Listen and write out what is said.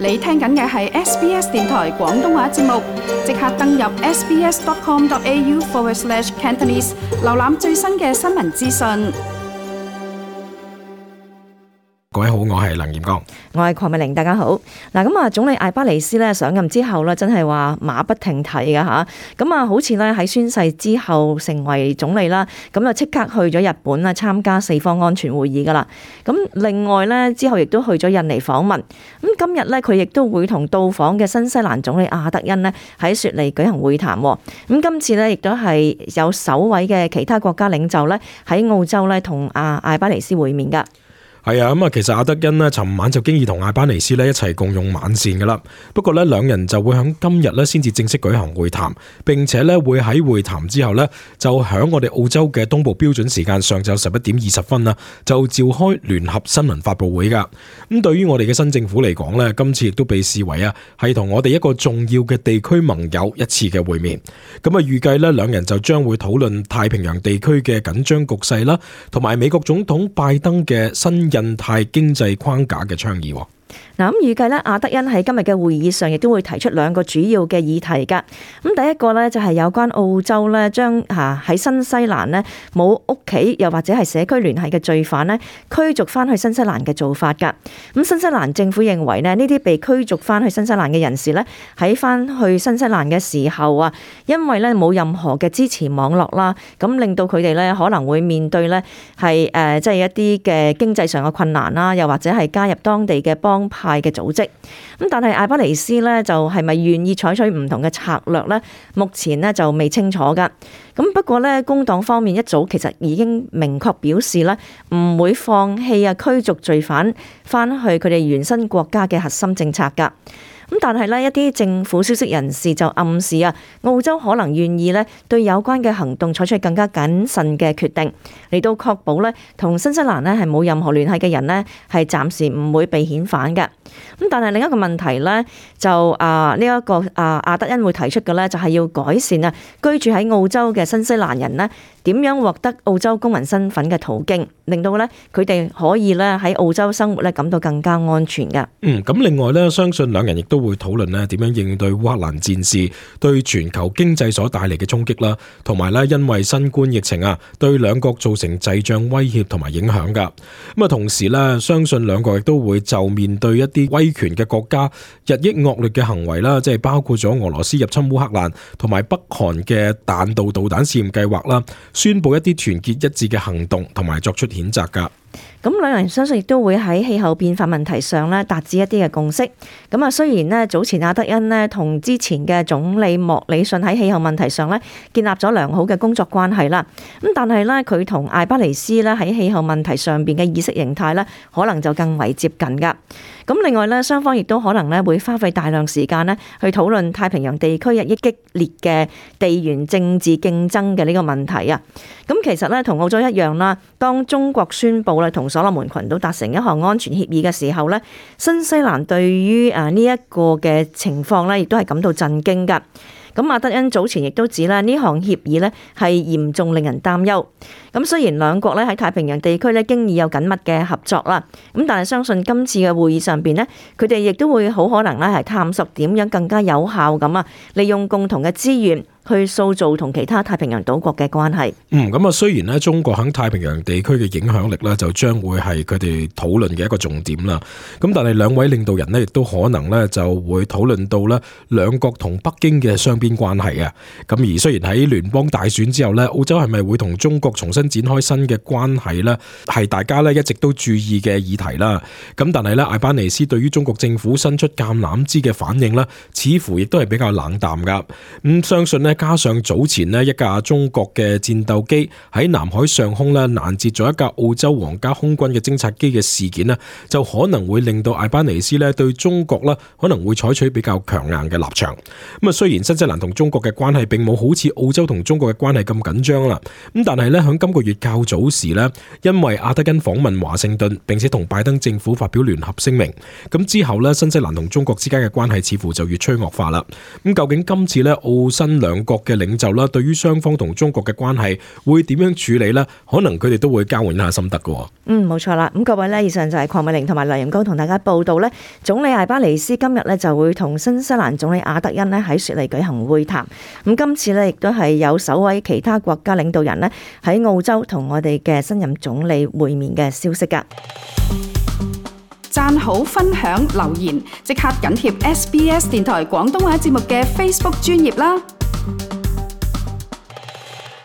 你聽緊嘅係 SBS 電台廣東話節目，即刻登入 sbs.com.au/Cantonese 瀏覽最新嘅新聞資訊。各位好，我係梁炎光，我係鄺美玲，大家好。嗱，咁啊，總理艾巴尼斯咧上任之後咧，真係話馬不停蹄嘅吓。咁啊，好似咧喺宣誓之後成為總理啦，咁啊即刻去咗日本啦，參加四方安全會議噶啦。咁另外咧之後亦都去咗印尼訪問。咁今日咧佢亦都會同到訪嘅新西蘭總理阿德恩呢喺雪梨舉行會談。咁今次咧亦都係有首位嘅其他國家領袖咧喺澳洲咧同艾巴尼斯會面噶。係啊，咁啊，其實阿德恩呢尋晚就經已同艾巴尼斯呢一齊共用晚膳噶啦。不過呢，兩人就會喺今日呢先至正式舉行會談，並且呢會喺會談之後呢，就響我哋澳洲嘅東部標準時間上晝11:20啦，就召開聯合新聞發佈會噶。咁對於我哋嘅新政府嚟講呢，今次亦都被視為係同我哋一個重要嘅地區盟友一次嘅會面。咁啊，預計呢兩人就將會討論太平洋地區嘅緊張局勢啦，同埋美國總統拜登嘅新印太經濟框架嘅倡議。嗱，咁預計咧，阿德恩喺今日嘅會議上亦都會提出兩個主要嘅議題噶。咁第一個咧就係有關澳洲咧將喺新西蘭咧冇屋企又或者係社區聯繫嘅罪犯咧驅逐翻去新西蘭嘅做法噶。咁新西蘭政府認為咧呢啲被驅逐翻去新西蘭嘅人士咧喺翻去新西蘭嘅時候啊，因為咧冇任何嘅支持網絡啦，咁令到佢哋咧可能會面對咧係即係一啲嘅經濟上嘅困難啦，又或者係加入當地嘅幫派嘅組織。咁但係艾巴尼斯咧就係咪願意採取唔同嘅策略咧？目前咧就未清楚噶。咁不過咧，工黨方面一早其實已經明確表示咧，唔會放棄驅逐罪犯翻去佢哋原生國家嘅核心政策噶。咁但係呢，一啲政府消息人士就暗示澳洲可能願意呢對有關嘅行動採取更加謹慎嘅決定，嚟到確保呢同新西蘭呢係冇任何聯繫嘅人呢係暫時唔會被遣返嘅。咁但係另一個問題呢，就呢一個阿德恩會提出嘅呢，就係要改善居住喺澳洲嘅新西蘭人呢點樣獲得澳洲公民身份嘅途徑，令到呢佢哋可以呢喺澳洲生活呢感到更加安全嘅。咁另外呢，相信兩人亦都會討論呢點樣應對烏克蘭戰事對全球經濟所帶嚟嘅衝擊啦，同埋呢因為新冠疫情對兩國造成滯脹威脅同埋影響噶。咁啊，同時呢，相信兩國亦都會就面對一啲威權嘅國家日益惡劣嘅行為啦，即係包括咗俄羅斯入侵烏克蘭同埋北韓嘅彈道導彈試驗計劃啦，宣布一啲團結一致嘅行動同埋作出譴責噶。咁兩人相信亦都會喺氣候變化問題上咧達至一啲嘅共識。咁啊，雖然咧早前阿德恩咧同之前嘅總理莫里遜喺氣候問題上咧建立咗良好嘅工作關係啦，咁但係咧佢同艾巴尼斯咧喺氣候問題上邊嘅意識形態咧可能就更為接近噶。咁另外咧，雙方亦都可能咧會花費大量時間咧去討論太平洋地區日益激烈嘅地緣政治競爭嘅呢個問題啊。咁其實咧同澳洲一樣啦，當中國宣布咧同所羅門群島達成一項安全協議嘅時候咧，新西蘭對於呢一個嘅情況咧，亦都係感到震驚噶。咁阿德恩早前亦都指咧，呢項協議咧係嚴重令人擔憂。咁雖然兩國咧喺太平洋地區咧經已有緊密嘅合作啦，咁但係相信今次嘅會議上邊咧，佢哋亦都會好可能咧係探索點樣更加有效咁利用共同嘅資源去塑造同其他太平洋島國嘅關係。咁啊，雖然咧中國喺太平洋地區嘅影響力咧就將會係佢哋討論嘅一個重點啦。咁但係兩位領導人咧亦都可能咧就會討論到咧兩國同北京嘅雙邊關係啊。咁而雖然喺聯邦大選之後咧，澳洲係咪會同中國重新展開新嘅關係咧，係大家咧一直都注意嘅議題啦。咁但係咧，艾巴尼斯對於中國政府伸出橄欖枝嘅反應咧，似乎亦都係比較冷淡噶。相信咧。加上早前呢一架中國嘅戰鬥機喺南海上空咧攔截咗一架澳洲皇家空軍嘅偵察機嘅事件呢，就可能會令到艾巴尼斯咧對中國咧可能會採取比較強硬嘅立場。咁啊，雖然新西蘭同中國嘅關係並冇好似澳洲同中國嘅關係咁緊張啦，咁但係咧響今個月較早時咧，因為阿德恩訪問華盛頓，並且同拜登政府發表聯合聲明，咁之後咧新西蘭同中國之間嘅關係似乎就越趨惡化啦。咁究竟今次咧澳新兩兩國嘅領袖啦，對於雙方同中國嘅關係會點樣處理呢？可能佢哋都會交換一下心得㗎。冇錯啦。咁各位呢，以上就係鄺美玲同埋梁仁高同大家報道呢，總理艾巴尼斯今日呢就會同新西蘭總理阿德恩呢喺雪梨舉行會談。咁今次呢亦都係有首位其他國家領導人呢喺澳洲同我哋嘅新任總理會面嘅消息㗎。讚好、分享、留言，即刻緊貼SBS 電台廣東話節目嘅 Facebook 專頁啦！